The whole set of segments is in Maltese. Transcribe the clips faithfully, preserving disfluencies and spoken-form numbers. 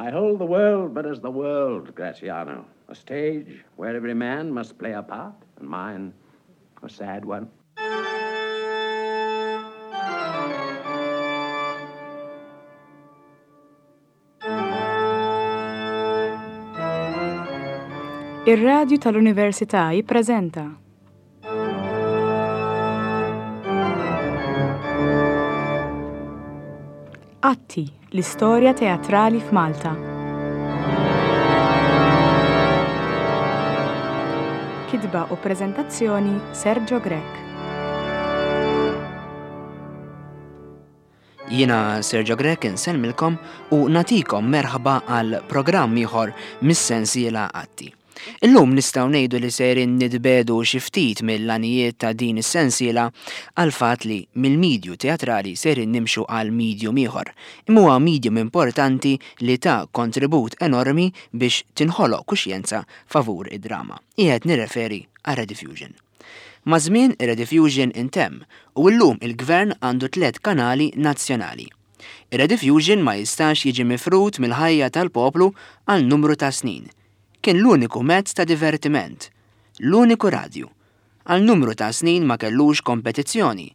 I hold the world but as the world, Graziano, a stage where every man must play a part, and mine a sad one. Ir-Radju tal-Università jippreżenta Atti, l-istorja teatrali f'Malta. Kitba u preżentazzjoni Sergio Grech. Jiena Sergio Grech insellmilkom u nagħtikom merħba għal programm ieħor mis-sensiela Atti. Illum nistgħu ngħidu li sejrin nitbedu xi ftit mill-għanijiet ta' din is-sensiela għal fatt li mill-medju teatrali sejrin nimxu għal medium ieħor. Imma huwa medium importanti li ta' kontribut enormi biex tinħoloq kuxjenza favur id-drama. Qiegħed nirreferi għal Rediffusion. Maż-żmien ir-Rediffusion intemm u llum il-gvern għandu tliet kanali nazzjonali. Ir-Rediffusion ma jistax jiġi mifrud mill-ħajja tal-poplu għal numru ta' snin. Kien l-uniku mezz ta' divertiment, l-uniku radju. Għal numru ta' snin ma kellux kompetizzjoni,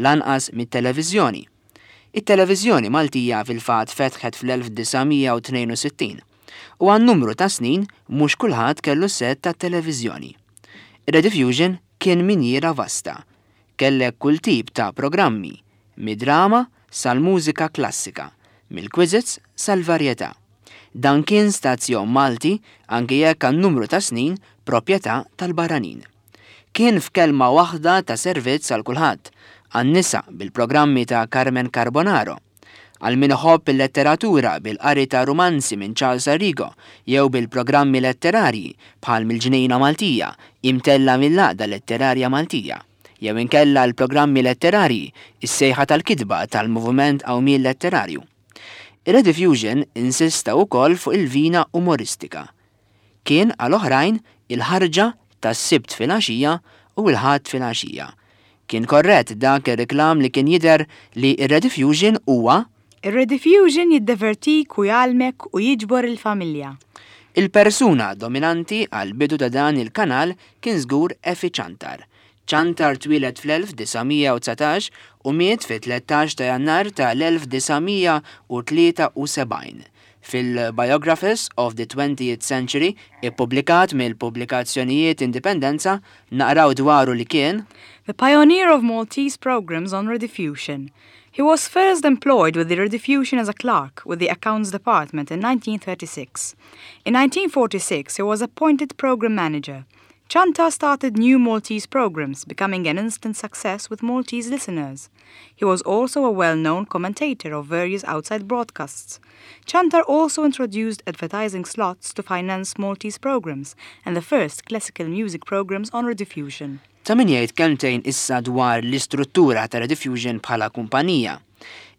lanqas mit-televiżjoni. It-televiżjoni Maltija fil-fatt fetħet fl-elf disa' mija u tnejn u sittin u għal numru ta' snin mhux kulħadd kellu set ta' televiżjoni. Rediffusion kien minjiera vasta. Kellek kull tip ta' programmi, mid-drama sal-mużika klassika, mill-quizzes sal-varjetà. Dan kien stazzjon Malti anke jekk għal numru ta' snin proprjetà tal-barranin. Kien f'kelma waħda ta' servizz għal kulħadd, għan-nisa bil-programmi ta' Carmen Carbonaro, għal min iħobb il-letteratura bil-qari ta' romanzi minn Charles Arrigo jew bil-programmi letterarji bħal mill-Ġnejna Maltija imtella mill-Għaqda Letterarja Maltija, jew inkella l-programmi letterarji is-sejħa tal-kitba tal-Moviment Qawmien Letterarju. Ir-Rediffusion insista wkoll fuq il-vina umoristika. Kien għal oħrajn il-ħarġa tas-Sibt filgħaxija u l-Ħadd filgħaxija. Kien korrett dak ir-reklam li kien jidher li ir-Rediffusion huwa Ir-Rediffusion jiddevertik u jgħallmek u jiġbor il-familja. Il-persuna dominanti għal bidu ta' dan il-kanal kien żgur Efi Ciantar. Ciantar twieled fl-elf disa' mija u dsatax u miet fit-tlettax ta' Jannar tal-elf disa' mija u tlieta u sebgħin. Fil-Biographers of the twentieth Century, ippubblikat mill-pubblikazzjonijiet Indipendenza, naqraw dwaru li kien The pioneer of Maltese programs on Rediffusion. He was first employed with the Rediffusion as a clerk with the Accounts Department in nineteen thirty-six. In nineteen forty-six, he was appointed program manager. Ciantar started new Maltese programs, becoming an instant success with Maltese listeners. He was also a well-known commentator of various outside broadcasts. Ciantar also introduced advertising slots to finance Maltese programs and the first classical music programs on Rediffusion. Ta' min jgħid kelmtejn issa dwar l-istruttura ta' Rediffusion bħala kumpanija.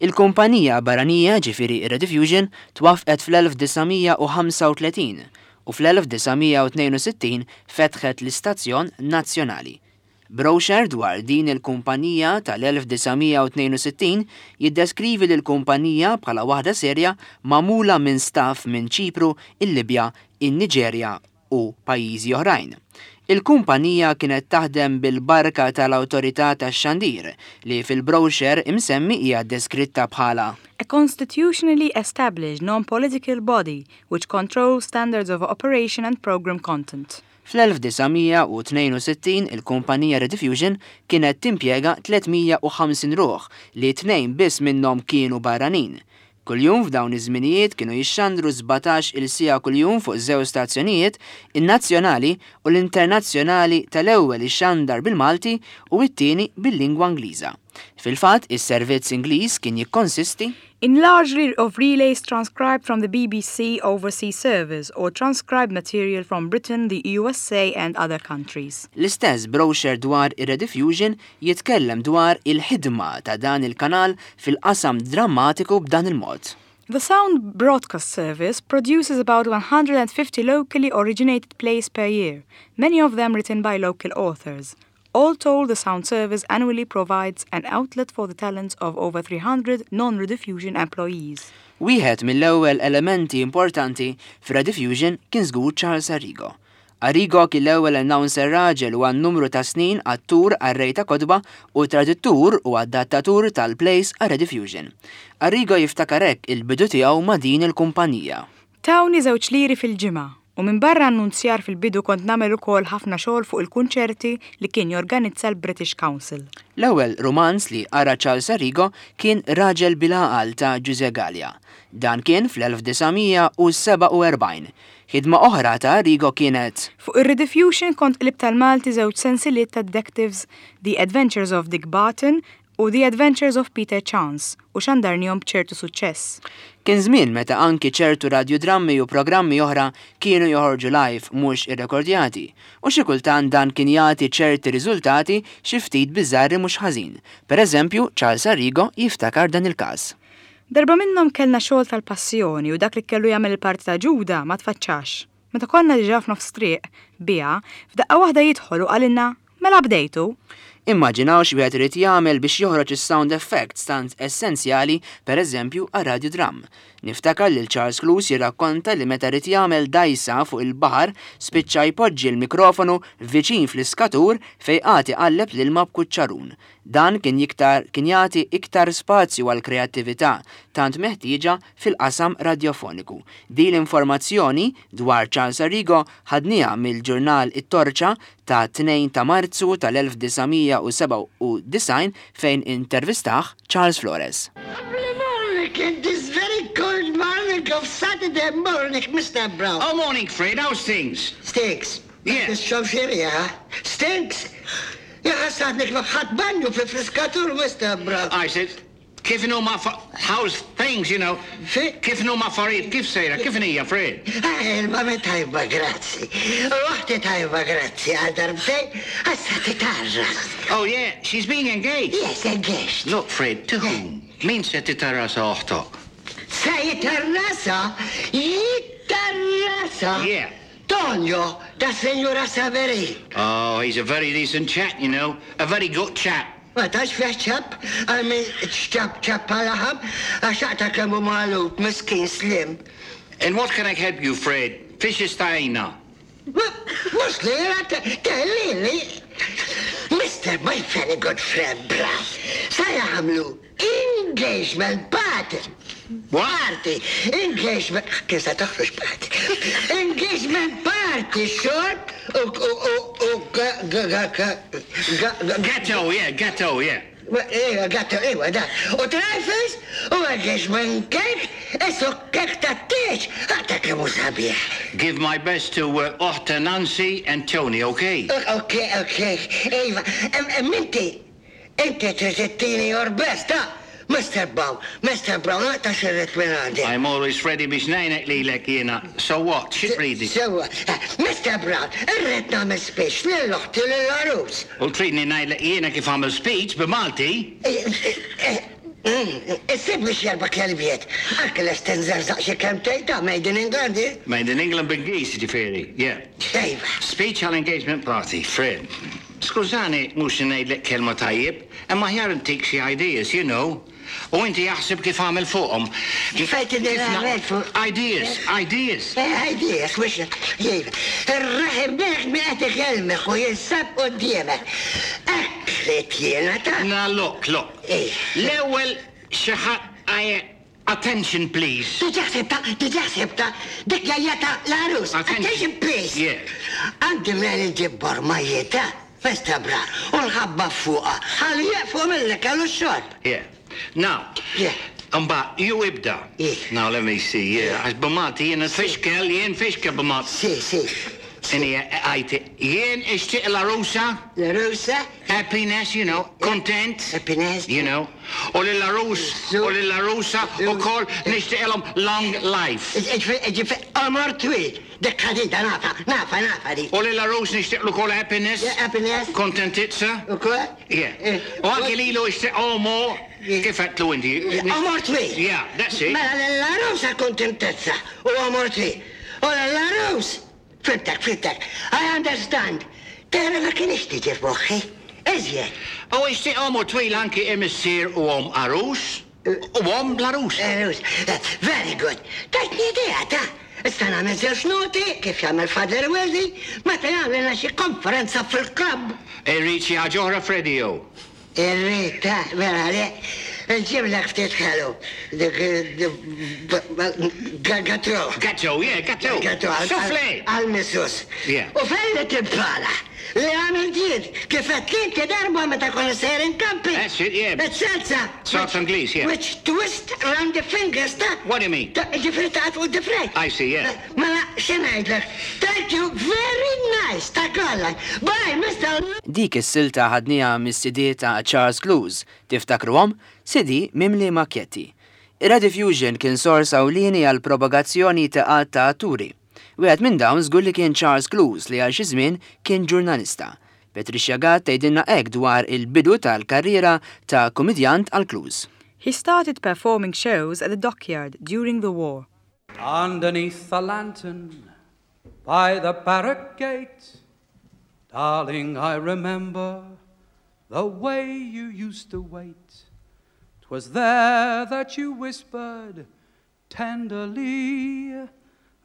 Il-kumpanija barranija, ġifieri Rediffusion, twaffqet fl-elf disa' mija u ħamsa u tletin u fl-elf disa' mija u tnejn u sittin fetħet l-istazzjon nazzjonali. Brochure dwar din il-kumpanija tal-elf disa' mija u tnejn u sittin jiddeskrivi lill-kumpanija bħala waħda serja magħmula minn staff minn Ċipru, il-Libja, in-Niġerja u pajjiżi oħrajn. Il-kumpanija kienet taħdem bil-barka tal-Awtorità tax-Xandir li fil-brochure imsemmi hija deskritta bħala a constitutionally established non-political body which controls standards of operation and program content. Fl-elf disa' mija u tnejn u sittin il-kumpanija Rediffusion kienet timpjega tliet mija u ħamsin ruħ li tnejn biss minnhom kienu barranin. Kuljum f'dawn iż-żminijiet kienu jixxandru sbatax il-siegħa kuljum fuq żewġ stazzjonijiet, in-nazzjonali u l-internazzjonali tal-ewwel ixxandar bil-Malti u t-tieni bil-lingwa Ingliża. Fil-fatt, is-servizz Ingliż kien jikkonsisti in largely of relays transcribed from the B B C Overseas Service or transcribed material from Britain, the U S A and other countries. L-istess brochure dwar ir-Rediffusion jitkellem dwar il-ħidma ta' dan il-kanal fil-qasam drammatiku b'dan il-mod. The Sound Broadcast Service produces about one hundred and fifty locally originated plays per year, many of them written by local authors. All told, the sound service annually provides an outlet for the talents of over three hundred non-Rediffusion employees. Wieħed mill-ewwel elementi importanti f'Rediffusion kien żgur Charles Arrigo. Arrigo kien l-ewwel announcer raġel u għal numru ta' snin attur, qarrej ta' kotba u traduttur u adattatur tal-plays għal Rediffusion. Arrigo jiftakar hekk il-bidu tiegħu ma' din il-kumpanija. Tawni żewġ liri fil-ġimgħa u minn barra annunzjar fil-bidu kont nagħmel ukoll ħafna xogħol fuq il-kunċerti li kien jorganizza l-British Council. L-ewwel romanz li qara Charles Arrigo kien Raġel bil-Għaqal ta' Ġużè Galea. Dan kien fl-elf disa' mija u sebgħa u erbgħin. Ħidma oħra ta' Arrigo kienet Fuq ir-Rediffusion kont qlibt għall-Malti żewġ sensiliet ta' detectives, The Adventures of Dick Barton u The Adventures of Peter Chance, u xandarnihom b'ċertu suċċess. Kien żmien meta anki ċertu radiodrammi u programmi oħra kienu joħorġu live, mhux irrekordjati, u xi kultant dan kien jagħti ċerti riżultati xi ftit biżarri mhux ħażin. Per eżempju, Charles Arrigo jiftakar dan il-każ. Darba minnhom kellna xogħol tal-passjoni u dak li kellu jagħmel il-parti ta' Ġuda ma tfaċċax. Meta konna diġà f'nofs triq biha, f'daqqa waħda jidħol u qalilna, "Mela bdejtu?" Immaġinaw x'wieħed irid jagħmel biex joħroġ is-sound effects tant essenzjali, pereżempju għal radiodram. Niftakar lil Charles Clews jirrakkonta li meta ried jagħmel dajsa fuq il-baħar spiċċa jpoġġi l-mikrofonu viċin fl-iskatur fejn qagħad iqalleb l-ilma b'kuċċarun. Dan kien jiktar kien jagħti iktar spazju għal kreattività tant meħtieġa fil-qasam radiofoniku. Din l-informazzjoni dwar Charles Arrigo ħadniha mill-ġurnal It-Torċa ta' tnejn ta' Marzu tal-elf disa' mija u sebgħa u disgħin fejn intervistah Charles Flores. Lovely morning, in this very cold morning of Saturday morning, Mister Brown. Oh, morning, Fred. How's things? Stinks. Yeah. Ix-xofxerija, stinks. Ja ħassadnik ħadt banju fil-friskatur, Mister Brown. I said, kif inhuma how's things, you know? Fi- Kif inhuma affarijiet, kif sejra, kif inhija, Fred? Il-mami tajba, grazzi. Uħti tajba, grazzi. Għal darbtejn, għassa titgħarras. Oh, yeah, she's being engaged. Yes, engaged. Look, Fred, to whom? Min se titgħarras oħtok? Se jitgħarrasha? Jitgħarrasha? Yeah. Tonio, ta' Signora Saverin. Oh, he's a very decent chap, you know. A very good chap. Ma tax fih ċap, għalmi ċap ċap għal-ħab, għaxaqta kemmu malut, miskin slim. And what can I help you, Fred? Fiex stajna. Mux li, telli li. Mister my very good friend Brown, sa jagħmlu engagement party. What? Party, engagement, kif se toħroġ party? Engagement party, xorb u u u u ga ga ga ga ga ga. Gateau, yeah, gateau, yeah. Iwa, gateau, iwa, da. U trifles, u engagement cake, isu kek ta' tieġ, għata kemmu sabiħ. Give my best to uh, Oħta Nancy and Tony, okay? Ok, ok, iva, minti, inti trid ittini your best, ha? Mister Brown, Mister Brown, għata xirrit minn għandi. I'm always ready biex ngħinek lilek jiena. So what? Xi tridi? Sewa, Mister Brown, irrid nagħmel speech lil oħti lill-għarus. U tridni ngħidlek jiena kif għamel speech b'Malti? Issib biex jerba kelbiet. Anke l-estenzer xi kelmtejn ta' Made in England, eh? Made in England b'Ingliż, ġifieri. Yeah. Iva. Speech għal engagement party, Fred. Skużani, mhux ngħidlek kelma tajjeb, imma aħjar intik xi ideas, you know. U inti jaħseb kif għamel fuqhom. Kif qed Kif na- nagħmel fuq- Ideas, ideas. Ideas, mux, jiva. Ir-raħim biex mi qed ikellmek u jinsab quddiemek. Akret jiena ta' Now look, look. Eh. L-ewwel xi ħadd, attention, please. Diġà ħsibtha, diġà ħsibtha, dik jajjata l-għarus. Attention. Attention, please. Yeah. Għandi mel nġib bormajieta, Mister Brown, u nħabba fuqa. Ħalli jaqfu mill kellu xorb. Yeah. Now, Yeah. Mbagħad, you ibda. Yeah. Now let me see. Yeah. Għax b'Malti jiena tfixkel, jien fixkel b'Malti. Si, si. Inhi għajti, jien ixtieq l-għarusa, L-għarusa, happiness, you know, content. Happiness. You know. U lill-għarus, u lill-għarusa, u kol nixtieqilhom long life. Ġifi, għomor twil. Dik ħadida nafa, nafa, nafa di. U lill-għarus nixtieqlu kol happiness. Yeah, happiness. Kontentizza. U kol? Yeah. Eh, U anki lilu ixtieq għomor, kif għedtlu inti? Għomor twil. Yeah, that's it. Mela l-għarusa kontentezza u għomor twil. U l-għarus, fhimtek, fhimtek, I understand. Tera ma kienx tiġi f'moħħi. Iżjed. U ixtieq għomor twil anki imissier u omm għarus u omm l-għarus. Għarus. Very good. Tajtni idea, ta' Issa nagħmel żewġ noti kif jagħmel Father Weldy meta jagħmel xi konferenza fil-klabb. Irrid xi ħaġa oħra, Freddy, jew? Irrid, ta' mela le, nġiblek ftit ħelu. Dik gateau. Gateau, yeah, gateau. Gateau. Soufflé. Għal-missus. Yeah. U fejn timpala? Li għamil ġid, kif għedt inti darba meta konna sejrin camping. That's it, yeah. It-salsa. Salsa Ingliż, yeah. Which twist round the fingers, ta' What do you mean? Ta' Ġifieri ta' fuq id-difrejn. I see, yeah. Mela, x'ngħidlek? Thank you, very nice, ta' kollha. Bye, Mister Dik is-silta ħadniha mis-C D ta' Charles Clowes. Tiftakruhom? C D mimli makjetti. Ir-Rediffusion kien sors ewlieni għal propagazzjoni ta' għadd ta' atturi. Wieħed minn dawn żgur li kien Charles Clowes, li għal xi żmien kien ġurnalista. Patricia Gatt tgħidilna hekk dwar il-bidu tal-karriera ta' komedjant għal Clowes. He started performing shows at the dockyard during the war. Underneath the lantern by the barrack gate, darling, I remember the way you used to wait. 'Twas there that you whispered tenderly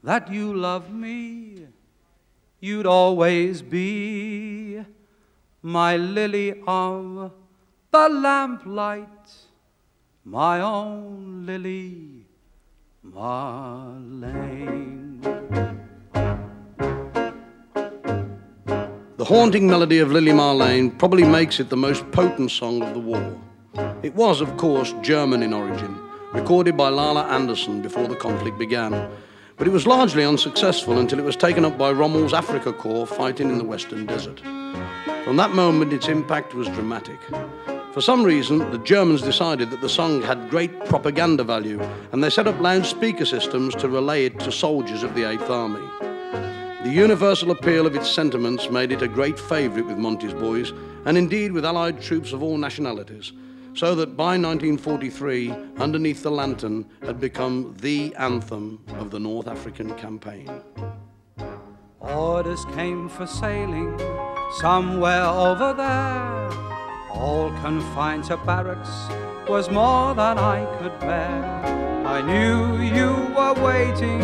that you loved me. You'd always be my lily of the lamplight, my own Lily Marlene. The haunting melody of Lili Marlene probably makes it the most potent song of the war. It was, of course, German in origin, recorded by Lala Anderson before the conflict began. But it was largely unsuccessful until it was taken up by Rommel's Afrika Korps fighting in the Western Desert. From that moment, its impact was dramatic. For some reason, the Germans decided that the song had great propaganda value, and they set up loudspeaker systems to relay it to soldiers of the Eighth Army. The universal appeal of its sentiments made it a great favourite with Monty's boys, and indeed with Allied troops of all nationalities, so that by nineteen forty-three, Underneath the Lantern had become the anthem of the North African campaign. Orders came for sailing somewhere over there. All confined to barracks was more than I could bear. I knew you were waiting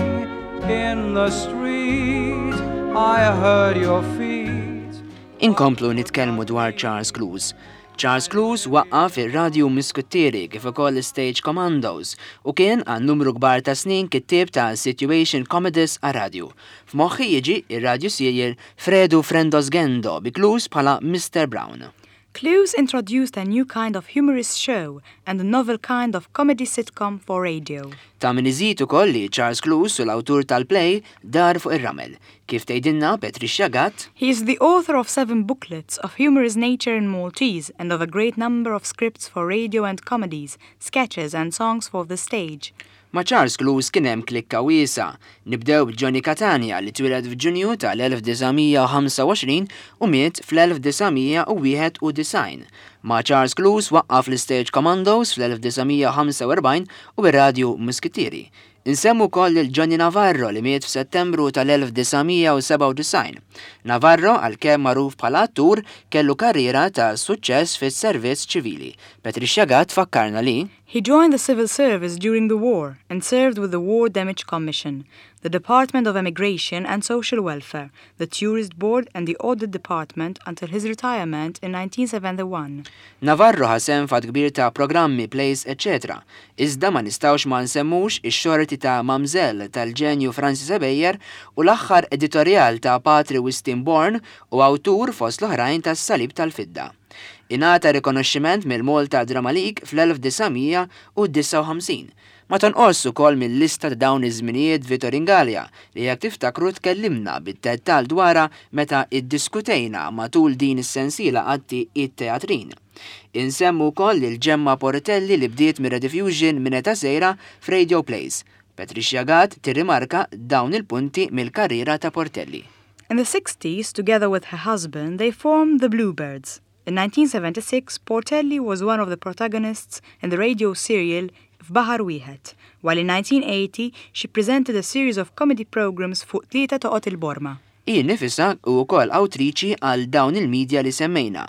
in the street. I heard your feet. Inkomplu nitkellmu dwar Charles Clowes. Charles Clowes waqqaf ir-Radio Muskitieri kif ukoll Stage Commandos u kien għal numru kbar ta' snin kittieb ta' situation comedies għar-radio. F'moħħi jiġi ir-radio serial Fredu Frendosgendo bi Clowes bħala Mister Brown. Clowes introduced a new kind of humorous show and a novel kind of comedy sitcom for radio. Ta' min iżid ukoll li Charles Clowes hu l-awtur tal-play Dar fuq ir-Ramel. Kif tgħidilna Patricia Gatt, He is the author of seven booklets of humorous nature in Maltese and of a great number of scripts for radio and comedies, sketches and songs for the stage. Ma' Charles Clowes kien hemm klikka wiesgħa. Nibdew b'Johnny Catania, li twieled f'Ġunju tal-elf disa' mija u ħamsa u għoxrin u miet fl-elf disa' mija u wieħed u disgħin. Ma' Charles Clowes waqqaf l-Stage Commandos fl-elf disa' mija u ħamsa u erbgħin u ir-Radio Muskitieri. Insemmu wkoll lil Johnny Navarro, li miet f'Settembru tal-elf disa' mija u sebgħa u disgħin. Navarro, għalkemm magħruf bħala attur, kellu karriera ta' suċċess fis-servizz ċivili. Patricia Gatt fakkarna li He joined the civil service during the war and served with the War Damage Commission, the Department of Emigration and Social Welfare, the Tourist Board and the Audit Department until his retirement in nineteen seventy-one. Navarro ħa sehem f'għadd kbir ta' programmi, plays, eccetera. Iżda ma nistgħux ma nsemmux ix-xorti ta' Mamżell tal-ġenju Francis Ebejer u l-aħħar editorial ta' Patri Wistin Born, u awtur fost l-oħrajn tas-Salib tal-Fidda. Ingħata rikonoxximent mill-Malta Drama League fl-elf disa' mija u disgħa u ħamsin. Ma tonqos ukoll mill-lista ta' dawn iż-żminijiet Vitorin Galea, li jekk tiftakru tkellimna bid-dettal dwarha meta iddiskutejna matul din is-sensiela għatti it-teatrin. Insemmu wkoll lil Gemma Portelli, li bdiet mir-Rediffusion minn età żgħira f'radio plays. Patricia Gatt tirrimarka dawn il-punti mill-karriera ta' Portelli. In the sixties, together with her husband, they formed the Bluebirds. In nineteen seventy-six, Portelli was one of the protagonists in the radio serial F'Baħar Wieħed, while in nineteen eighty she presented a series of comedy programs Fuq Tlieta Toqgħod il-Borma. Hi nifisha wkoll awtriċi għal dawn il-medja li semmejna.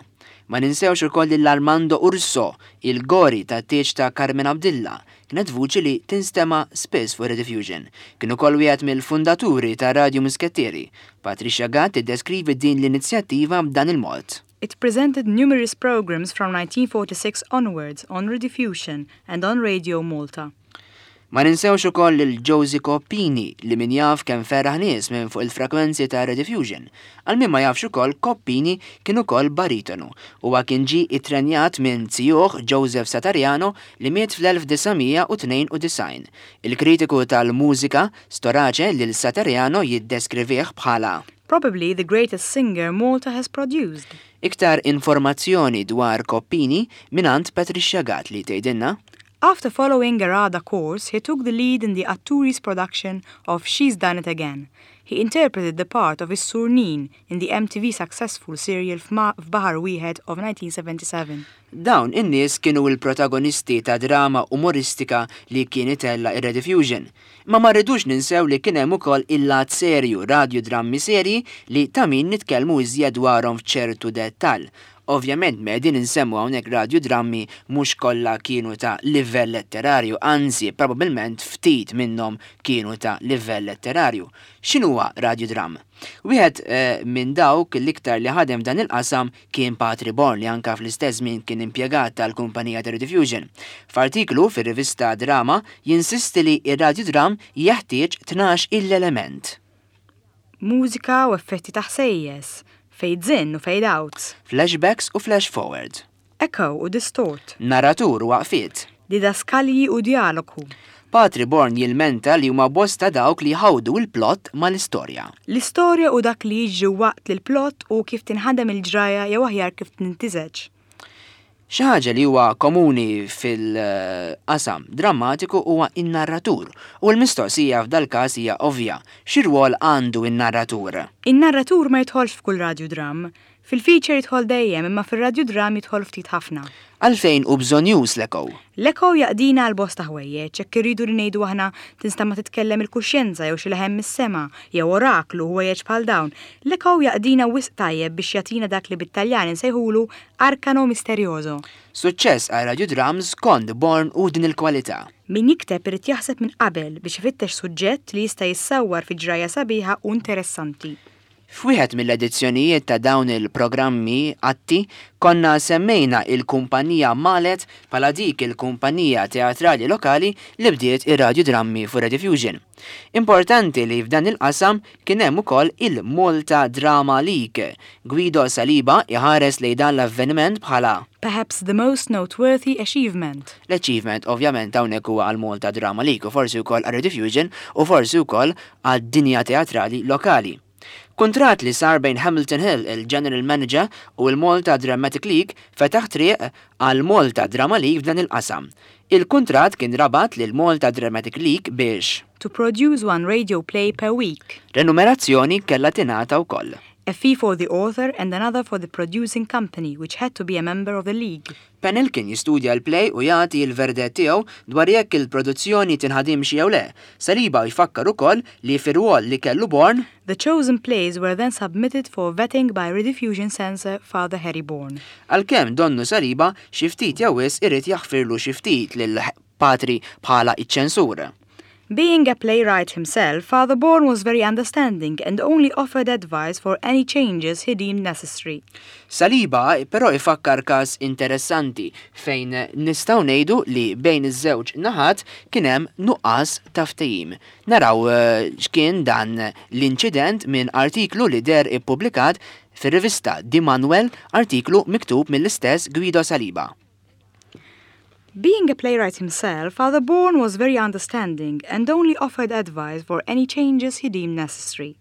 Ma ninsewx ukoll lil Armando Urso, il-Gori ta' tieġ ta' Carmen Abdilla, kienet vuċi li tinstema spiss fuq Rediffusion. Kien ukoll wieħed mill-fundaturi ta' Radio Muskettieri. Patricia Gatt iddeskrivi din l-inizjattiva b'dan il-mod. It presented numerous programs from nineteen forty-six onwards on Rediffusion and on Radio Malta. Ma ninsewx ukoll lil Josie Coppini li min jaf kemm ferraħ nies minn fuq il-frekwenzi ta' Rediffusion. Għal min ma jafx ukoll, Coppini kien ukoll baritonu. Huwa kien ġi ittrenjat minn zijuh Joseph Satariano li miet fl-elf disa' mija u tnejn u disgħin. Il-kritiku tal-mużika Storace lil Satariano jiddeskrivih bħala probably the greatest singer Malta has produced. Iktar informazzjoni dwar Coppini mingħand Patricia Gatt li tgħidilna: After following a RADA course, he took the lead in the Atturis production of She's Done It Again. He interpreted the part of Is-Sur Nin in the M T V successful serial F'Baħar Wieħed of nineteen seventy-seven. Dawn in-nies kienu l-protagonisti ta' drama umoristika li kien itella' ir-Rediffusion. Ma ma rridux ninsew li kien hemm ukoll il-lat serju, radiodrammi serji li ta' min nitkellmu iżjed dwarhom f'ċertu dettall. Ovvjament, qegħdin insemmu hawnhekk radiodrammi, mhux kollha kienu ta' livell letterarju, anzi probabbilment ftit minnhom kienu ta' livell letterarju. X'inhuwa radiodram? Wieħed eh, minn dawk l-iktar li ħadem dan il-qasam kien Patri Born li anka fl-istess żmien kien impjegat tal-kumpanija ta' Rediffusion. F'artiklu fir-rivista Drama jinsisti li ir-radiodram jeħtieġ tnax il-element. Mużika u effetti ta' ħsejjes, fades in u fade out. Flashbacks u flash forward. Echo u distort. Narratur u waqfiet. Didaskalji u dialogu. Patri Born jilmenta li huma bosta dawk li jħawdu il-plot mal-istorja. L-istorja u dak li jiġri waqt li l-plot u kif tinħadem il-ġraja jew aħjar kif tintiżeġ. Xi ħaġa li huwa komuni fil-qasam drammatiku huwa in-narratur u l-mistoqsija f'dal każ hija ovvja. Xi rwol għandu in-narratur? In-narratur ma jidħolx f'kull radiodram. Fil-feature jidħol dejjem, imma fil-radiodram jidħol ftit ħafna. Għalfejn hu bżonnjuż l-echo? L-echo jaqdina għal bosta ħwejjeġ, jekk irridu li ngħidu aħna tinstama titkellem il-kuxjenza jew xi leħen mis-sema jew oraklu, ħwejjeġ bħal dawn. L-echo jaqdina wisq tajjeb biex jagħtina dak li bit-Taljan insejħulu arcano misterioso. Suċċess għal radiodrams skont Born hu din il-kwalità. Min jikteb irid jaħseb minn qabel biex ifittex suġġett li jista' jissawwar fi ġraja sabiħa u interessanti. F'wieħed mill-edizzjonijiet ta' dawn il-programmi Atti konna semmejna il-kumpanija Malet bħala dik il-kumpanija teatrali lokali li bdiet ir-radiodrammi fuq Rediffusion. Importanti li f'dan il-qasam kien hemm ukoll il-Malta Drama League. Guido Saliba iħares lejn dan l-avveniment bħala perhaps the most noteworthy achievement. L-achievement ovvjament hawnhekk huwa għal Malta Drama League u forsi wkoll għal Rediffusion u forsi wkoll għad-dinja teatrali lokali. Kontrat li sar bejn Hamilton Hill, il-General Manager, u l-Malta Dramatic League fetaħ triq għal Malta Drama League f'dan il-qasam. Il-kontrat kien rabat lil Malta Dramatic League biex to produce one radio play per week. Renumerazzjoni kellha tingħata wkoll. A fee for the author and another for the producing company, which had to be a member of the league. Panel kien jistudja l-play u jagħti l-verdett tiegħu dwar jekk il-produzzjoni tinħadimx jew le. Saliba jfakkar ukoll li fir-rwol li kellu Born The chosen plays were then submitted for vetting by Rediffusion censor Father Harry Bourne. Għalkemm donnu Saliba xi ftit jew wisq irid jaħfirlu xi ftit lil Patri bħala iċ-ċensur. Being a playwright himself, Father Bourne was very understanding and only offered advice for any changes he deemed necessary. Saliba però ifakkar każ interessanti fejn nistgħu ngħidu li bejn iż-żewġ naħat kien hemm nuqqas ta' ftehim. Naraw eh, x'kien dan l-inċident minn artiklu li deher ippubblikat fir-rivista Di Manuel, artiklu miktub mill-istess Guido Saliba. Being a playwright himself, Father Bourne was very understanding and only offered advice for any changes he deemed necessary.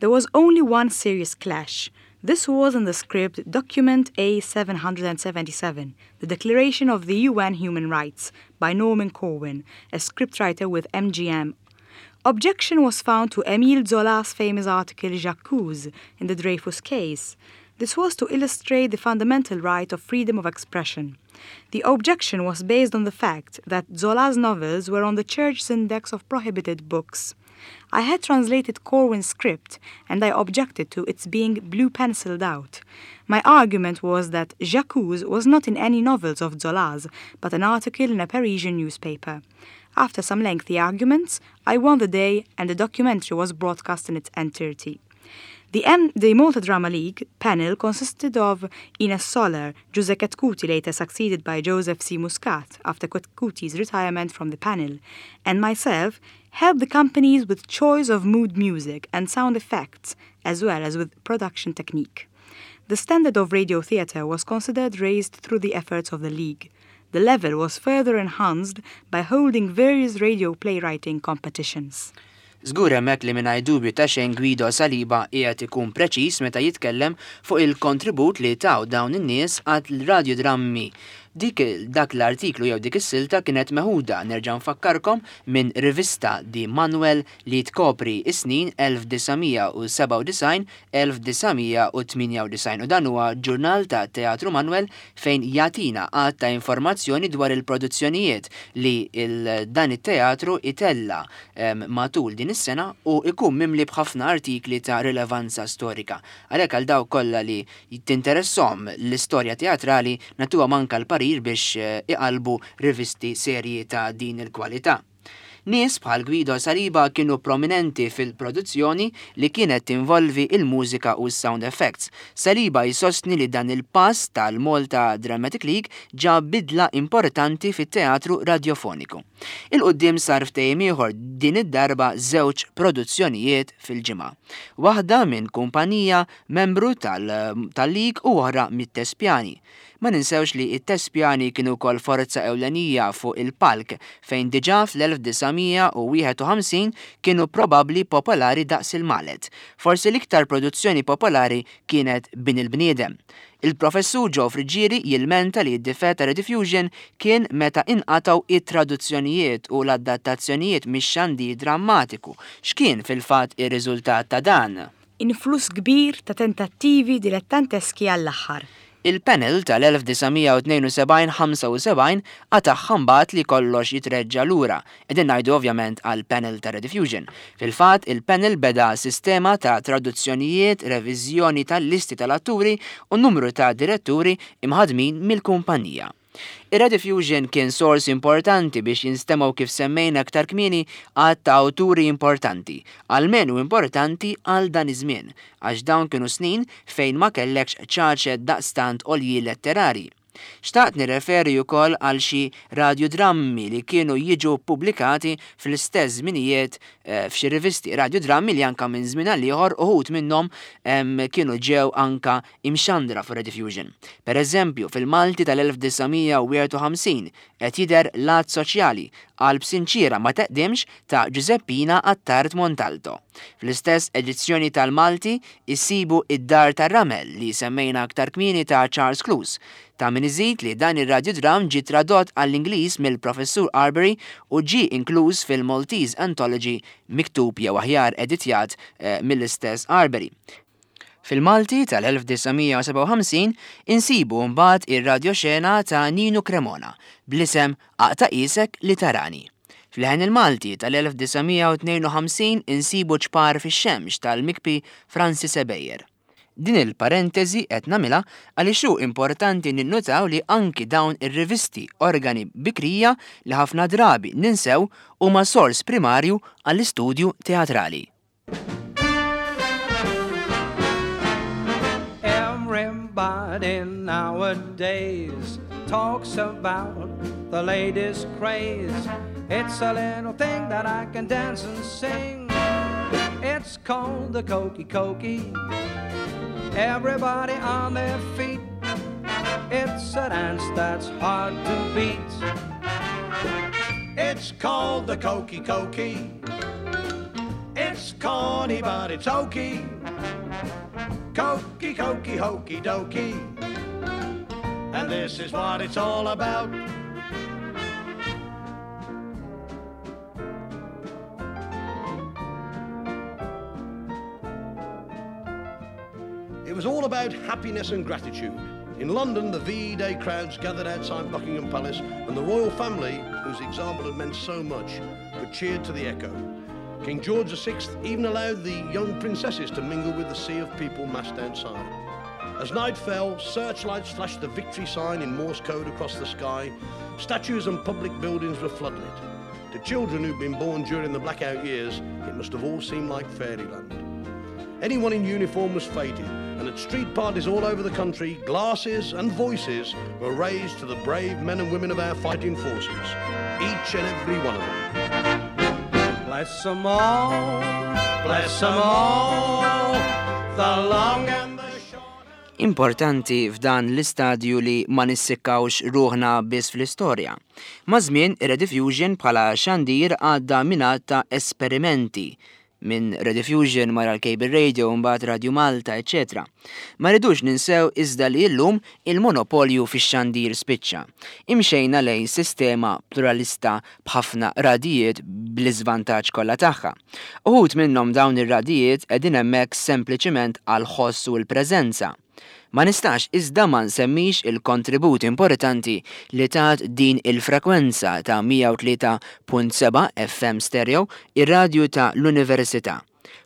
There was only one serious clash. This was in the script Document A seven seven seven, the Declaration of the U N Human Rights, by Norman Corwin, a scriptwriter with M G M. Objection was found to Emile Zola's famous article J'accuse in the Dreyfus case. This was to illustrate the fundamental right of freedom of expression. The objection was based on the fact that Zola's novels were on the church's index of prohibited books. I had translated Corwin's script and I objected to its being blue-penciled out. My argument was that J'accuse was not in any novels of Zola's, but an article in a Parisian newspaper. After some lengthy arguments, I won the day and the documentary was broadcast in its entirety. The, M- the Malta Drama League panel consisted of Ines Soler, Giuseppe Chetcuti, later succeeded by Joseph C. Muscat after Chetcuti's retirement from the panel, and myself, helped the companies with choice of mood music and sound effects, as well as with production technique. The standard of radio theatre was considered raised through the efforts of the League. The level was further enhanced by holding various radio playwriting competitions. Żgur hemmhekk li mingħajr dubju ta' xejn Guido Saliba qiegħed ikun preċiż meta jitkellem fuq il-kontribut li taw dawn in-nies għal radiodrammi. Dik dak l-artiklu jew dik is-silta kienet meħuda, nerġa' nfakkarkom, minn rivista Di Manuel li tkopri is-snin elf disa' mija u sebgħa u disgħin elf disa' mija u tmienja u disgħin, u dan huwa ġurnal ta' Teatru Manuel fejn jagħtina għadd ta' informazzjoni dwar il-produzzjonijiet li il dan it-teatru itella em, matul din is-sena u ikun mimli b'ħafna artikli ta' rilevanza storika. Għalhekk għal dawk kollha li tinteressom l-istorja teatrali nagħtuhom anka l-parir biex eh, iqalbu rivisti serji ta' din il-kwalità. Nies bħal Guido Saliba kienu prominenti fil-produzzjoni li kienet tinvolvi il-mużika u s-sound effects. Saliba jisostni li dan il-pass tal-Malta Dramatic League ġab bidla importanti fit-teatru radiofoniku. Il-qoddim sar ftehim ieħor, din id-darba żewġ produzzjonijiet fil-ġimgħa. Waħda minn kumpanija membru tal-League u oħra mit-Tespjani. Ma ninsewx li it-Tespjani kienu kol forza ewlenija fuq il-palk fejn diġà fl-elf disa' mija u wieħed u ħamsin kienu probabli popolari daqs il-Malet. Forsi l-iktar produzzjoni popolari kienet Bin il-Bniedem. Il-professur Joe Friggieri jilmenta li d-difett ta' Rediffusion kien meta inqataw it-traduzzjonijiet u l-adattazzjonijiet mix-xandir drammatiku. X'kien fil-fatt ir-riżultat ta' dan? Influss kbir ta' tentattivi dilettanteski għall-aħħar. Il-panel tal-elf disa' mija u tnejn u sebgħin ħamsa u sebgħin qatagħha mbagħad li kollox jitreġġa lura. Qegħdin ngħidu ovvjament għal panel ta' Rediffusion. Fil-fatt il-panel beda sistema ta' traduzzjonijiet, reviżjoni tal-listi tal-atturi u numru ta' diretturi imħadmin mill-kumpanija. Ir-Rediffusion kien sors importanti biex jinstemaw, kif semmejna aktar kmieni, għadd ta' awturi importanti, almenu importanti għal dan iż-żmien, għax dawn kienu snin fejn ma kellekx ċaċet daqstant għoljin letterari. Xtaqt nirreferi wkoll għal xi radiodrammi li kienu jiġu pubblikati fl-istess żminijiet eh, f'xi rivisti, radiodrammi li anka minn żmien għal ieħor uħud minnhom em, kienu ġew anka imxandra fuq Rediffusion. Per eżempju, fil-Malti tal-elf disa' mija u wieħed u ħamsin qed jidher Lat Soċjali, Qalb Sinċiera ma Teqdimx ta' Giuseppina Attard Montalto. Fl-istess edizzjoni tal-Malti issibu Id-Dar tar-Ramel li semmejna aktar kmieni ta' Charles Clews. Ta' min iżid li dan ir-radiodram ġi tradott għall-Ingliż mill-Professur Arbery u ġi inkluż fil-Maltese Anthology miktub jew aħjar editjat eh, mill-istess Arbery. Fil-Malti tal-elf disa' mija u sebgħa u ħamsin insibu mbagħad ir-radioxena ta' Ninu Cremona bl-isem Aqta' Qisek li Tarani. Fl-Leħen il-Malti tal-elf disa' mija u tnejn u ħamsin insibu Ċpar fix-Xemx tal-Mikpi Francis Ebejer. Din il-parentesi qed nagħmilha għaliex hu importanti ninnutaw li anki dawn ir-rivisti, organi bikrija li ħafna drabi ninsew, huma sors primarju għall-istudju teatrali. Everybody nowadays talks about the latest craze. It's a little thing that I can dance and sing. It's called the Hokey Cokey. Everybody on their feet. It's a dance that's hard to beat. It's called the Hokey Cokey. It's corny, but it's okey. Cokey, cokey, hokey dokey. And this is what it's all about. It was all about happiness and gratitude. In London, the V E Day crowds gathered outside Buckingham Palace, and the royal family, whose example had meant so much, were cheered to the echo. King George the Sixth even allowed the young princesses to mingle with the sea of people massed outside. As night fell, searchlights flashed the victory sign in Morse code across the sky. Statues and public buildings were floodlit. To children who'd been born during the blackout years, it must have all seemed like fairyland. Anyone in uniform was feted, and at street parties all over the country, glasses and voices were raised to the brave men and women of our fighting forces, each and every one of them. Bless 'em all, bless 'em all, the long and the short. Importanti f'dan l-istadju li ma nissikkawx ruħna biss fl-istorja. Maż-żmien ir-Rediffusion bħala xandir għadda minn ta' esperimenti minn Rediffusion mara l-Cable Radio, mbagħad Radio Malta, eċċetera. Ma rridux ninsew iżda li llum il-monopolju fix-xandir spiċċa. Imxejna lejn sistema pluralista b'ħafna radijiet bl-iżvantaġġ kollha tagħha. Uħud minnhom dawn ir-radijiet qegħdin hemmhekk sempliċiment għal ħoss u l-preżenza. Ma nistax iżda ma nsemmix il-kontribut importanti li tat din il-frekwenza ta' mija u tlieta punt seba' F M stereo ir-radju ta' l-Università.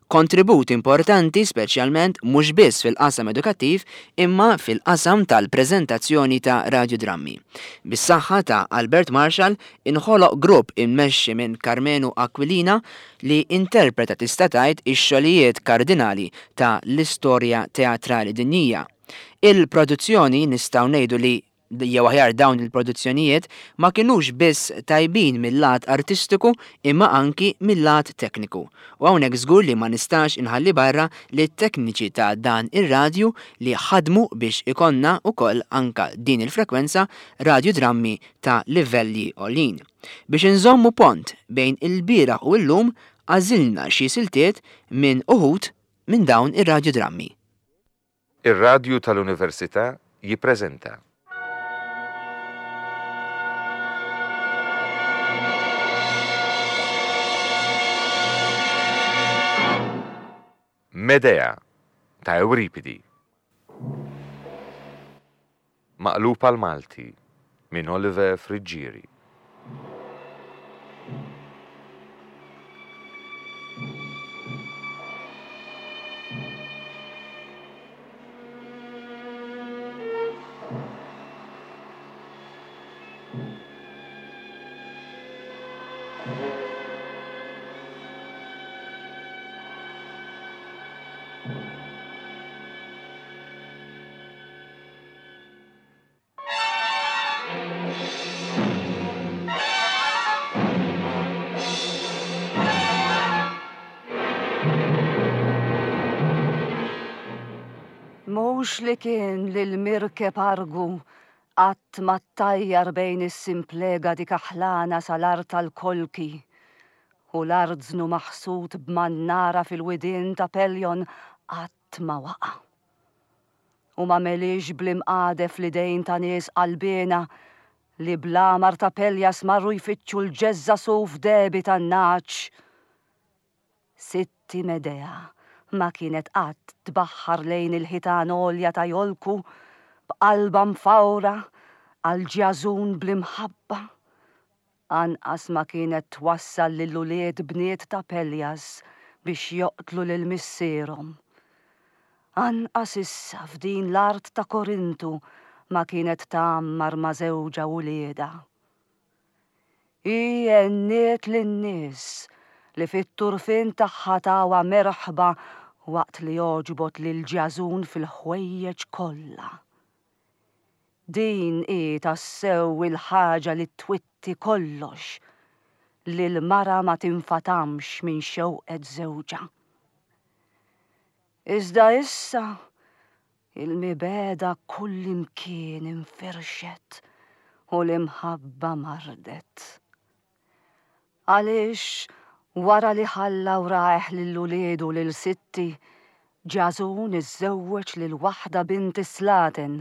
Kontribut importanti speċjalment mhux biss fil-qasam edukattiv imma fil-qasam tal-preżentazzjoni ta' radiodrammi. Bis-saħħa ta' Albert Marshall inħoloq grupp immexxi minn Karmenu Aquilina li interpreta tista' tgħid ix-xogħlijiet kardinali ta' l-istorja teatrali dinjija. Il-produzzjoni nistgħu ngħidu li jew aħjar dawn il-produzzjonijiet ma kinux biss tajbin mill-lat artistiku imma anki mill-lat tekniku. U hawnhekk żgur li ma nistax inħalli barra li t-tekniċi ta' dan ir-radju li ħadmu biex ikonna wkoll anka din il-frekwenza radiodrammi ta' livelli għoljin. Biex inżommu pont bejn il-bieraħ u llum għażilna xi siltiet minn uħud minn dawn ir-radiodrammi. Ir-radju tal-Università jippreżenta Medea ta' Euripidi. Maqlub għal Malti minn Oliver Friggieri. Mhux li kien lil mirkeb argu qatt ma ttajjar bejn is-simplega dik aħlana sal-art tal-Kolki u l-arznu maħsud b'mannara fil-widien ta' Peljon qatt ma waqa'. U ma melix bl-imqadef l-idejn ta' nies qalbiena li bl-għamar ta' Peljas marru jfittxu l-ġeżża suf debi tan-naċ. Sitti Medea ma kienet qatt tbaħħar lejn il-ħitan għolja ta' Jolku b'qalba mfawra għal ġjażun bl-imħabba. Anqas ma kienet twassal lil ulied bniet ta' Peljas biex joqtlu lil missierhom. Anqas issa f'din l-art ta' Korintu ma kienet tgħammar ma' żewġha uliedha. Hi għenniet lin-nies li fit-turfin tagħha tawha merħba waqt li joġbot lil ġjażun fil-ħwejjeġ kollha. Din hi tassew il-ħaġa li twitti kollox, li l-mara ma tinfatamx minn xewqet żewġha. Iżda issa il-mibeda kullimkien infirxet u l-imħabba mardet. Għaliex wara li ħalla wrajh lil uliedu lil sitti, Ġażun iżżewweġ lil waħda bint Slaten,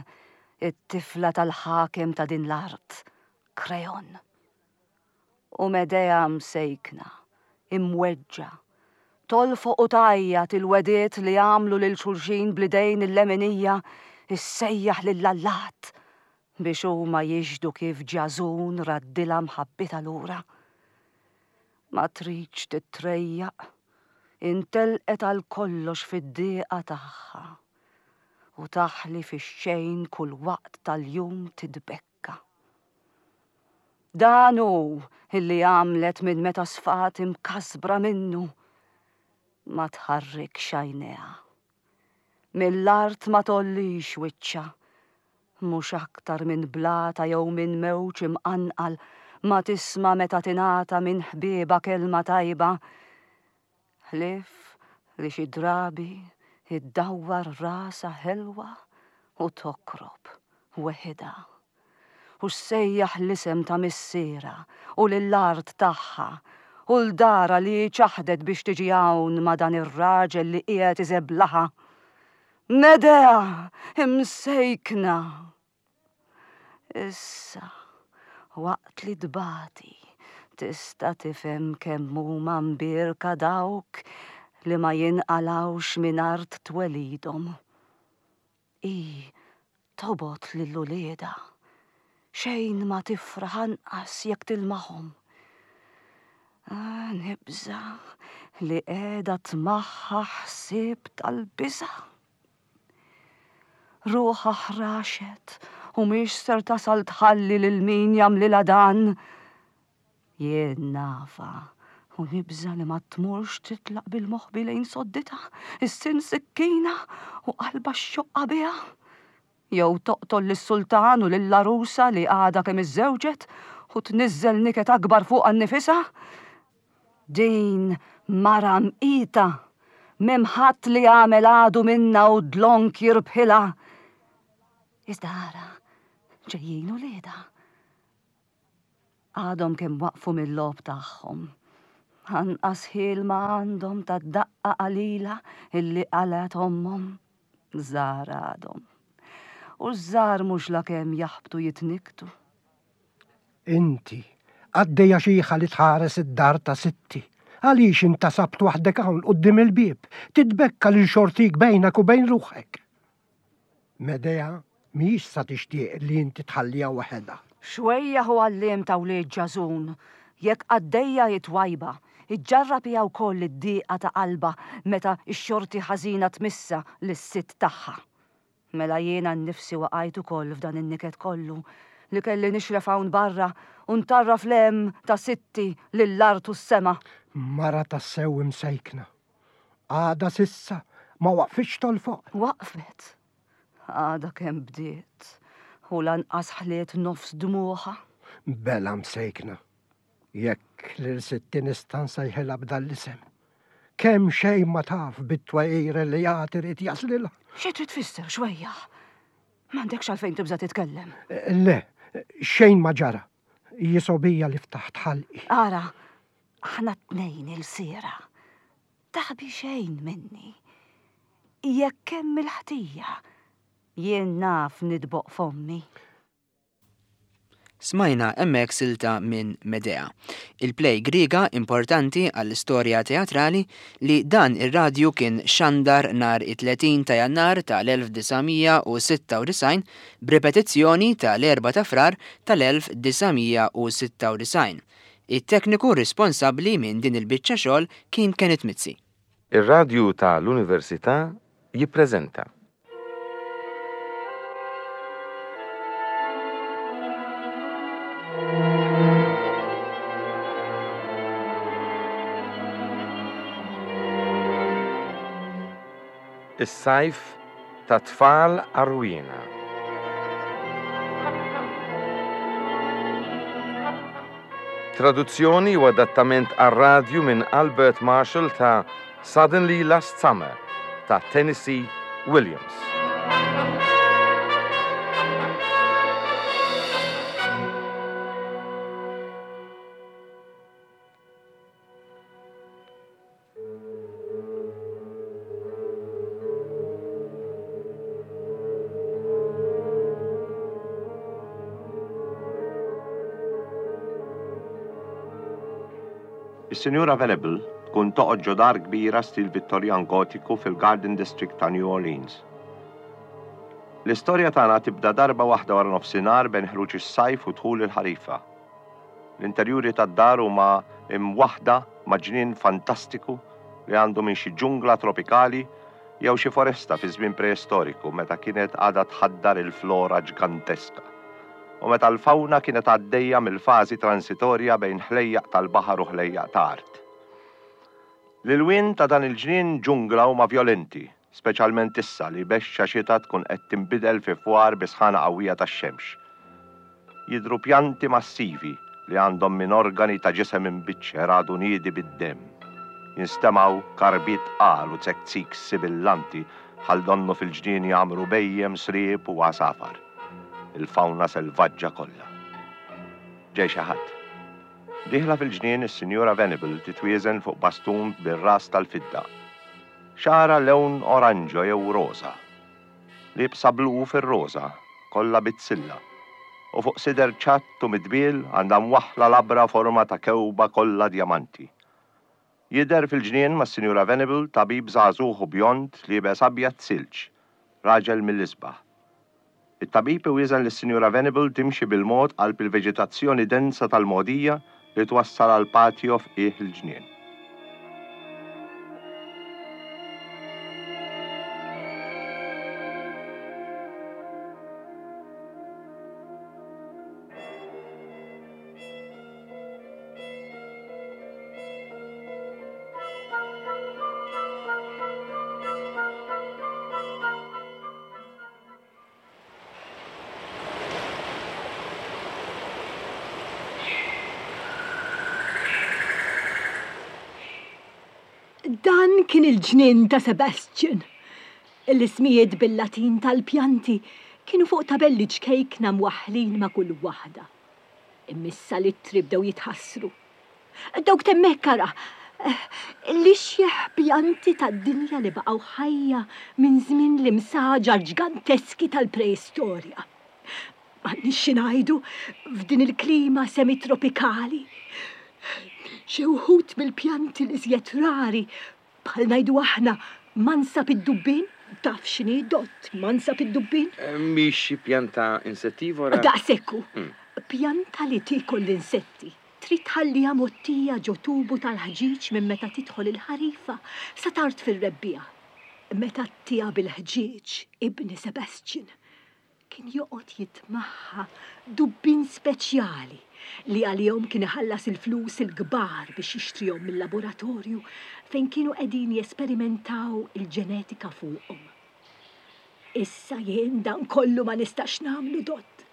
it-tifla tal-ħakem ta' din l-art, Kreon. U Medea msejkna, imweġġa, tolfoq u tgħajjat il-wediet li għamlu lil xulxin bl-idejn il-leminija, issejjaħ lill-allat biex huma jixhdu kif Ġażun raddilha mħabbitha lura. Ma tridx titrejjaq, intelqet għal kollox fid-dieqa tagħha u taħli fix-xejn kull waqt tal-jum titbekka. Dan hu illi għamlet minn meta sfat imkasbra minnu. Ma tħarrikx għajnejha. Mill-art ma tollix wiċċha, mhux aktar minn blata jew minn mewġ imqanqal ma tisma' meta tingħata minn ħbieba kelma tajba. Ħlief li xi drabi iddawwar rasha ħelwa u tokrob weħidha u ssejjaħ l-isem ta' missierha u lill-art tagħha u l-dara li ċaħdet biex tiġi hawn ma' dan ir-raġel li qiegħed iżeblaha. Medea, imsejkna. Issa, waqt li tbati, tista' tifhem kemm huma mbierka dawk li ma jinqalgħux minn art twelidhom. Hi tobgħod lil uliedha, xejn ma tifraħ anqas jekk tilmaħhom. Ah, nibża' li qiegħda tmaħħa ħsieb tal-biża'. Ruħha ħraxet u mhix ser tasal tħalli lil min jagħmlilha dan. Jien nafha u nibża' li ma tmurx titlaq bil-moħbi lejn sodditha, is-sin sikkina u qalba x-xoqqa biha. Jew toqtol lis-sultan u lill-għarusa li għadha kemm iżżewġet u tniżżel niket akbar fuqha nnifisha. Din mara mqita, m'hemm ħadd li jagħmel għadu minnha u dlonk jirbħilha. Iżda ara, ġejjin uliedha. Għadhom kemm waqfu mill-logħob tagħhom. Anqas ħil ma għandhom tad-daqqa qalila illi qalgħet ommhom. Żgħar għadhom. U ż-żgħar mhux lakemm jaħbtu jitniktu. Inti, għaddejja xiħa li tħares id-dar ta' sitti. Għaliex intasabt waħdek hawn quddiem il-bieb, titbekka lil xortik bejnek u bejn ruħek. Medea mhijiex sa tixtieq li inti tħalliha waħedha. Xwejjaħ u għalliem ta' wlied Ġażun, jekk qaddejja hi twajba, iġġarrab hija wkoll id-dieqa ta' qalbha meta x-xorti ħażina tmissha lis-sitt tagħha. Mela jiena nnifsi waqajt ukoll f'dan in-niket kollu li kelli nixref hawn barra u ntarraf l-hemm ta' sitti lill-art u s-sema. Mara tassew imsejkna. Għada sissa ma waqfitx tolfoq. Waqfet. Għada kemm bdiet u lanqas ħliet nofs dmuħa. Bela msejkna. Jekk lil sitti nista' nsejħilha b'dan l-isem. Kemm xejn ma taf bit-twajir li għad irid jaslilha. Xi trid tfisser xwejjaħ? M'għandekx għalfejn tibża' titkellem. Le, xejn ma ġara. Jisobija li ftaħt ħalqi. Ara, aħna t-tnejn il-siera. Taħbi xejn minni. Jekk hemm il-ħtija, jien naf nidboq fommi. Smajna hemmhekk silta minn Medea, il-play Griega importanti għall-istorja teatrali li dan ir-radju kien xandar nhar it-tletin ta' Jannar tal-elf disa' mija u sitta u disgħin b'ripetizzjoni tal-erba' ta' Frar tal-elf disa' mija u sitta u disgħin. It-tekniku responsabbli minn din il-biċċa xogħol kien Kenneth Mizzi. Ir-radju tal-Università jippreżenta Is-sajf ta' tfal għarwiena. Traduzzjoni u adattament għar-radju minn Albert Marshall ta' Suddenly Last Summer ta' Tennessee Williams. Is-Sinjura Venable tkun toqgħod ġo dar kbira stil Vittorjan Gotiku fil-Garden District ta' New Orleans. L-istorja tagħna tibda darba waħda wara nofsinhar bejn ħruġ is-sajf u dħul il-ħarifa. L-interjuri tad-dar huma imwaħda ma' ġnien fantastiku li għandu minn xi ġungla tropikali jew xi foresta fi żmien preistoriku meta kienet għadha tħaddar il-flora ġganteska. U meta l-fawna kienet għaddejja mill-fażi transitorja bejn ħlejjaq tal-baħar u ħlejjaq ta' art. L-ilwien ta' dan il-ġnien ġungla huma vjolenti, speċjalment issa li bexxa xita tkun qed tinbidel fi fwar bi sħana qawwija tax-xemx. Jidhru pjanti massivi li għandhom minn organi ta' ġisem imbiċċer għadu niedi bid-demm. Jinstemgħu karbiet tqal u zekzik sibillanti bħal donnu fil-ġnien jagħmru bhejjem, sriep u għasafar. Il-fawna selvaġġa kollha. Ġej xi ħadd. Dieħla fil-ġnien is-Sinjura Venable titwieżen fuq bastun bir-ras tal-fidda. Xagħarha lewn oranġo jew roża. Liebsa blu fir-roża, kollha bizzilla. U fuq sider ċatt u midbiel għandha mwaħħla labra forma ta' kewba kollha djamanti. Jidher fil-ġnien mas-Sinjura Venable tabib żagħżugħ u bjond liebes abjad silġ, raġel mill-isbaħ. It-tabib iwieżen lis-Sinjura Venable timxi bil-mod qalb il-veġetazzjoni densa tal-mogħdija li twassal għal patio f'qiegħ il-ġnien. Dan kien il-ġnien ta' Sebastian. L-ismijiet bil-Latin tal-pjanti kienu fuq tabelli ċkejkna mwaħħlin ma' kull waħda. Imma issa l-ittri bdew jitħassru. Dawk t'hemmhekk ara, l-ixjeħ pjanti tad-dinja li baqgħu ħajja minn żmien l-imsaġar ġganteski tal-preistorja. M'għandniex xi ngħidu f'din il-klima semitropikali. Xi wħud mill-pjanti l-iżjed rari, bħal ngħidu aħna mansab id-dubbien, taf x'inhi dott mansab id-dubbien? Mhix xi pjanta insettivora? Daqshekk hu. Pjanta li tiekol l-insetti. Trid tħalliha mgħottija ġo tubu tal-ħġieġ minn meta tidħol il-ħarifa sa tard fir-rebbiegħa. Meta ttiha bil-ħġieġ, ibni Sebastian kien joqgħod jitmaħħa dubbien speċjali li għalihom kien iħallas il-flus il-kbar biex jixtrihom mill-laboratorju fejn kienu qegħdin jesperimentaw il-ġenetika fuqhom. Issa jien dan kollu ma nistax nagħmlu dott.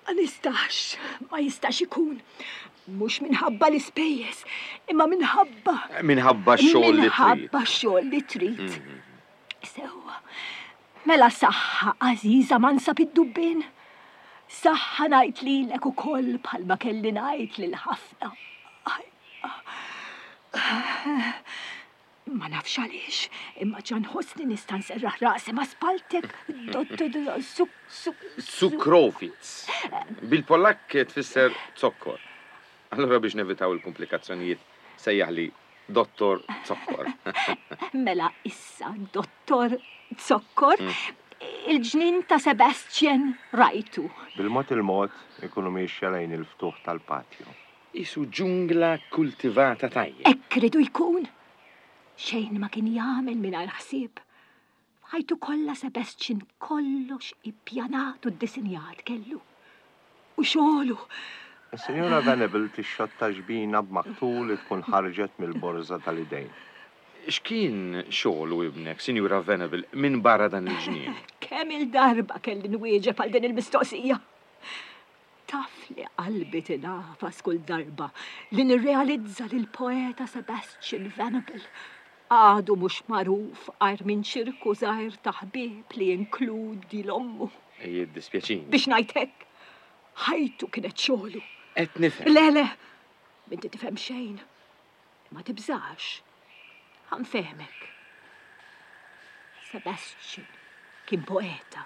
Ma nistax, ma jistax ikun. Mhux minħabba l-ispejjeż, imma minħabba Minħabba x-xogħol li trid. Minħabba x-xogħol li trid. Sewwa. Mela saħħa għażiża mansab id-dubbien. Saħħa ngħid lilek ukoll bħalma kelli ngħid lil ħafna. Ma nafx għaliex, imma ġa nħossni nista' nserraħ rasi ma' spaltek. Cukrowicz. Bil-Pollakk tfisser zokkor. Allura biex nevitaw il-komplikazzjonijiet sejjaħli Dottor Zokkor. Mela issa Dottor Zokkor, il-ġnien ta' Sebastian rajtu. Bil-mod il-mod ikunu miexja lejn il-ftuħ tal-patio. Isu ġungla kultivata tajjeb. Hekk ridu jkun. Xejn ma kien jagħmel mingħajr ħsieb. F'ħajtu kollha Sebastian kollox ippjanat u ddisinjat kellu. U xogħlu. Is-Sinjura Venable tixxotta ġbina b'maktul li tkun ħarġet mill-borża tal-idejn. X'kien xogħlu ibnek, Sinjura Venable, minn barra dan il-ġnien? Kemm il-darba kelli nwieġeb għal din il-mistoqsija. Taf li qalbi tingħafas kull darba li nirrealizza li l-poeta Sebastian Venable għadu mhux magħruf għajr minn ċirku żgħir ta' ħbieb li jinkludi l-ommu. Jiddispjaċini. Biex ngħid hekk, ħajtu kienet xogħlu. Qed nifhem. Le, le, m'inti tifhem xejn. Ma tibżax. Ħa nfehmek. Sebastian kien poeta.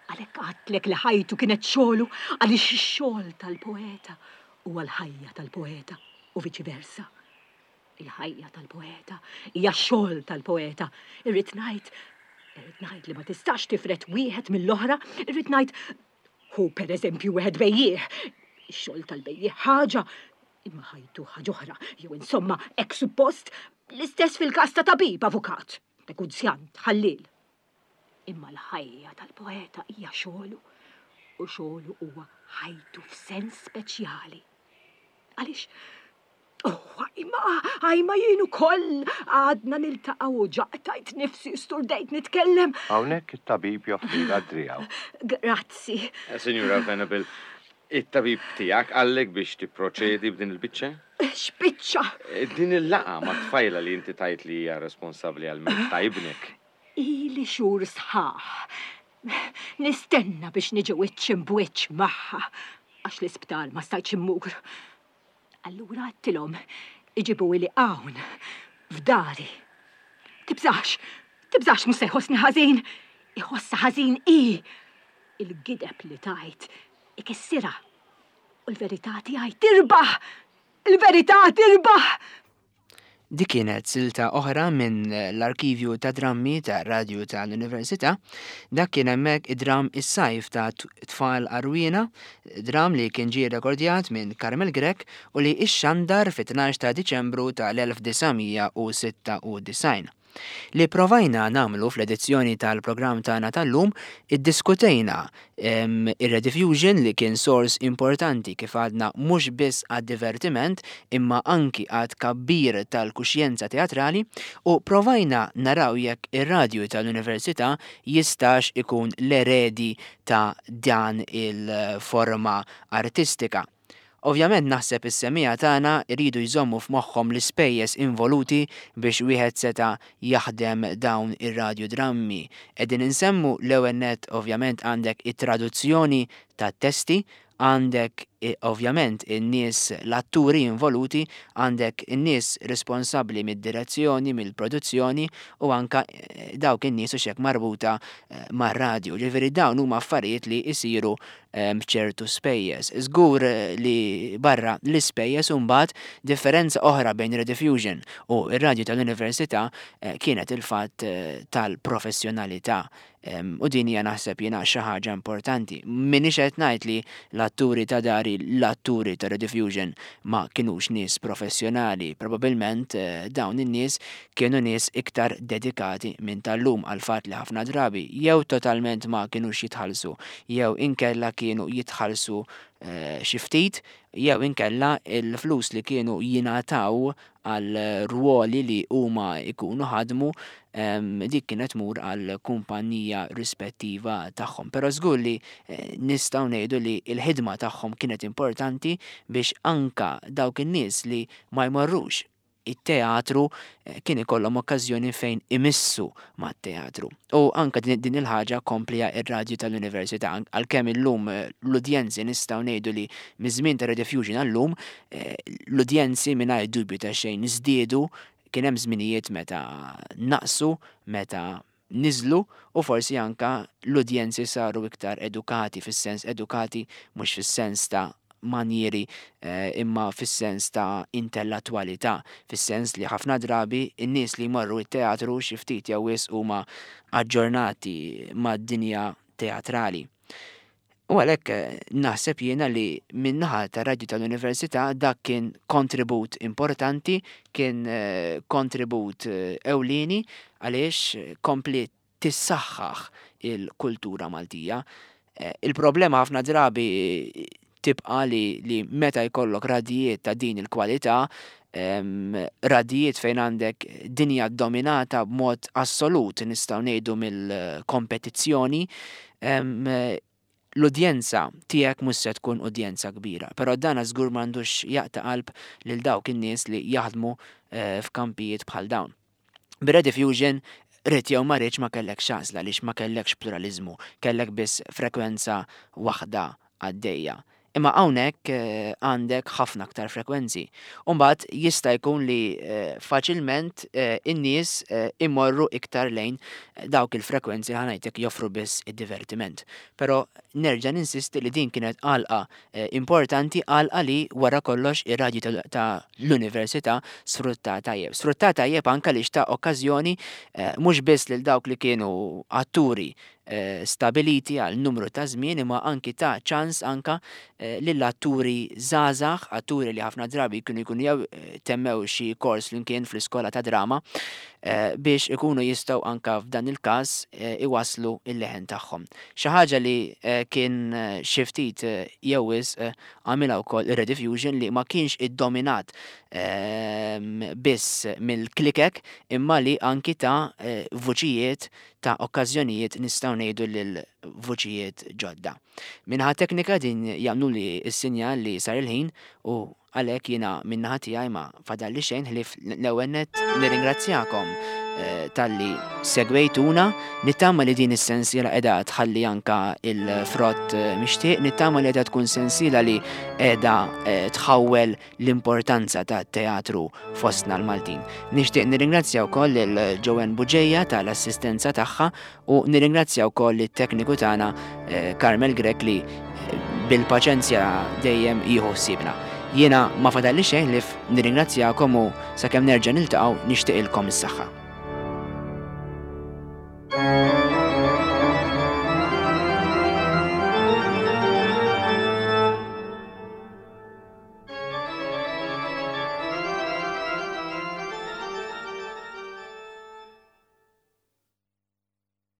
Għalhekk għadtlek li ħajtu kienet xogħlu għaliex ix-xogħol tal-poeta huwa l-ħajja tal-poeta u viċi versa. Il-ħajja tal-poeta hija x-xogħol tal-poeta. Irrid ngħid, irrid ngħid li ma tistax tifret wieħed mill-oħra, irrid ngħid hu pereżempju wieħed bejjiegħ, Ix-xogħol tal-bejjiegħ ħaġa, imma ħajtu ħaġa oħra, jew insomma hekk suppost, l-istess fil-każ ta' tabib, avukat, negozjant, ħalliel. Imma l-ħajja tal-poeta hija xogħlu, u xogħlu huwa ħajtu f'sens speċjali. Għaliex, oh, imma, imma jien ukoll għadna niltaqgħu u ġaqtajt nifsi sturdejt nitkellem. Hawnhekk it-tabib joffrilha driegħu. Grazzi. Eh, Sinjura Venable, it-tabib tiegħek qallek biex tipproċedi b'din il-biċċa? X'biċċa? Eh, Din il-laqgħa ma' tfajla li inti tajt li hija responsabbli għal mewt ta' ibnek. Ili xhur sħaħ. Nistenna biex niġi wiċċ imb'wiċċ magħha għax l-isptar ma stajtx immur. Allura għedtilhom iġibuhieli hawn f'dari. Tibżax, tibżax mhux se jħossni ħażin. Iħossha ħażin i. Il-gideb li tajt ikissirha. U l-verità tiegħi tirbaħ. Il-verità tirbaħ. Dik kienet silta oħra minn l-arkivju ta' drammi ta' radju tal-Università. Dak kien hemmhekk id-dram Is-Sajf ta' Tfal Għarwiena, dram li kien ġie rekordjat minn Carmel Grech u li ixxandar fit-tnax ta' Diċembru tal-elf disa' mija u sitta u disgħin. Li provajna nagħmlu fl-edizzjoni tal-programm tagħna tal-lum, iddiskutejna, em, ir-Rediffusion li kien sors importanti kif għadna mhux biss għad-divertiment imma anki għad kabbir tal-kuxjenza teatrali, u provajna naraw jekk ir-radju tal-Università jistax ikun l-eredi ta' dan il-forma artistika. Ovvjament naħseb is-semmiegħa tagħna jridu jżommu f'moħħhom l-ispejjeż involuti biex wieħed seta' jaħdem dawn ir-radiodrammi. Qegħdin insemmu l-ewwel nett ovvjament għandek it-traduzzjoni tat-testi, għandek eh, ovvjament in-nies l-atturi involuti, għandek in-nies responsabbli mid-direzzjoni, mill-produzzjoni u anka, eh, dawk in-nies u xek marbuta, eh, mar-radju. Ġifieri dawn huma affarijiet li jsiru, eh, b'ċertu spejjeż. Żgur, eh, li barra l-ispejjeż imbagħad differenza oħra bejn Rediffusion u r-radju tal-Università, eh, kienet il-fatt, eh, tal-professjonalità. Em, u din hija naħseb jiena xi ħaġa importanti. M'iniex qed ngħid li l-atturi ta' dari, l-atturi ta' Rediffusion ma kinux nies professjonali. Probabilment, eh, dawn in-nies kienu nies iktar dedikati minn tal-lum għal fatt li ħafna drabi jew totalment ma kinux jitħallsu, jew inkella kienu jitħallsu, eh, xi ftit, jew inkella il-flus li kienu jingħataw għal ruoli li huma jkunu ħadmu, em, dik kienet tmur għal kumpanija rispettiva tagħhom. Però żgur li, eh, nistgħu ngħidu li l-ħidma tagħhom kienet importanti biex anka dawk in-nies li ma jmorrux it-teatru, eh, kien ikollhom okkażjoni fejn imissu mat-teatru. U anka din, din il-ħaġa komplija ir-radju tal-Università, an-, għalkemm illum, eh, l-udjenzi nistgħu ngħidu li miż-żmien ta' Rediffusion għallum, eh, l-udjenzi mingħajr dubju ta' xejn żdiedu, kien hemm żminijiet meta naqsu, meta niżlu, u forsi anka l-udjenzi saru iktar edukati, fis-sens edukati mhux fis-sens ta' manjieri, eh, imma fis-sens ta' intellettualità, fis-sens li ħafna drabi n-nies li jmorru t-teatru xi ftit jew wisq huma aġġornati mad-dinja teatrali. U għalhekk, eh, naħseb jiena li min-naħa tar-radju tal-Università dak kien kontribut importanti, kien, eh, kontribut, eh, ewlieni għaliex kompli tissaħħaħ il-kultura Maltija. Eh, il-problema ħafna drabi tibqa li, li meta jkollok radijiet ta' din il-kwalità, em, radijiet fejn għandek dinja dominata b'mod assolut nistgħu ngħidu mill-kompetizzjoni, em, l-udjenza tiegħek mhux se tkun udjenza kbira, però dan żgur m'għandux jaqta' qalb lil dawk in-nies li jaħdmu, eh, f'kampijiet bħal dawn. Bir-Rediffusion rrid jew ma rridx ma kellekx għażla għaliex ma kellekx pluralizmu, kellek biss frekwenza waħda għaddejja. Imma hawnhekk, eh, għandek ħafna aktar frekwenzi. U mbagħad jista' jkun li, eh, faċilment, eh, in-nies, eh, imorru iktar lejn dawk il-frekwenzi li ħanajtek joffru biss id-divertiment. Però nerġa' ninsisti li din kienet għalqa, eh, importanti, għalqa li wara kollox ir-radju ta', ta' l-università sfrutta tajjeb. Sfrutta tajjeb anke li xta' okkażjoni, eh, mhux biss lil dawk li kienu atturi stabiliti għal numru ta' żmien, imma anki ta' ċans anka lill-atturi żgħażagħ, atturi li ħafna drabi kienu jkunu jew temmew xi kors flimkien fl-iskola ta' drama, biex ikunu jistgħu anka f'dan il-każ iwasslu il-leħen tagħhom. Xi ħaġa li kien xi ftit jew wisq għamilha wkoll ir-Rediffusion, li ma kienx iddominat biss mill-klikek, imma li anki ta' vuċijiet, ta' okkażjonijiet, nistgħu ngħidu, lil vuċijiet ġodda. Min-naħa teknika din jagħmlu li s-sinjal li sar il-ħin u għalhekk jiena min-naħa tiegħi ma fadalli xejn ħlief l-ewwel nett nirringrazzjakom talli segwejtuna. Nittama li din is-sensiela qiegħda tħalli anka il-frott mixtieq, nittama li qiegħda tkun sensiela li qiegħda tħawwel l-importanza ta' teatru fostna l-Maltin. Nixtieq nirringrazzja wkoll lil Joanne Buġeja tal-assistenza tagħha u nirringrazzja wkoll it-tekniku tagħna Carmel Grech li bil-paċenzja dejjem jieħu ħsiebna. Jiena ma fadalli xejn ħlief nirringrazzjakom u sakemm nerġa' niltaqgħu nixtieqilkom is-saħħa.